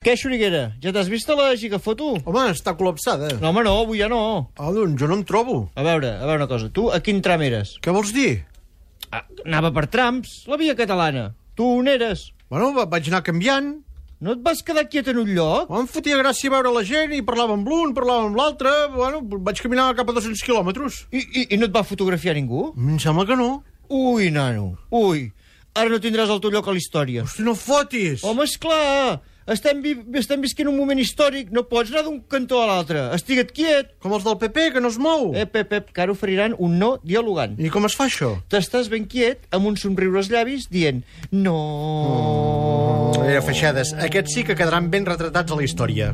Què, Xuriguera? Ja t'has vist a la gigafoto? Home, està col·lapsada. No, home, no, avui ja no. Ah, doncs jo no em trobo. A veure una cosa. Tu a quin tram eres? Què vols dir? Anava per trams, la via catalana. Tu on eres? Bueno, vaig anar canviant. No et vas quedar quiet en un lloc? Em fotia gràcia veure la gent i parlava amb l'un, parlava amb l'altre. Bueno, vaig caminar cap a 200 quilòmetres. I no et va fotografiar ningú? Em sembla que no. Ui, nano, ui. Ara no tindràs el teu lloc a la història. Hosti, no fotis! Home, esclar! Estem visquent un moment històric. No pots anar d'un cantó a l'altre. Estigue't quiet. Com els del PP, que no es mou. Pep, que ara oferiran un no dialogant. I com es fa això? T'estàs ben quiet, amb un somriure als llavis, dient no. Feixades, aquests sí que quedaran ben retratats a la història.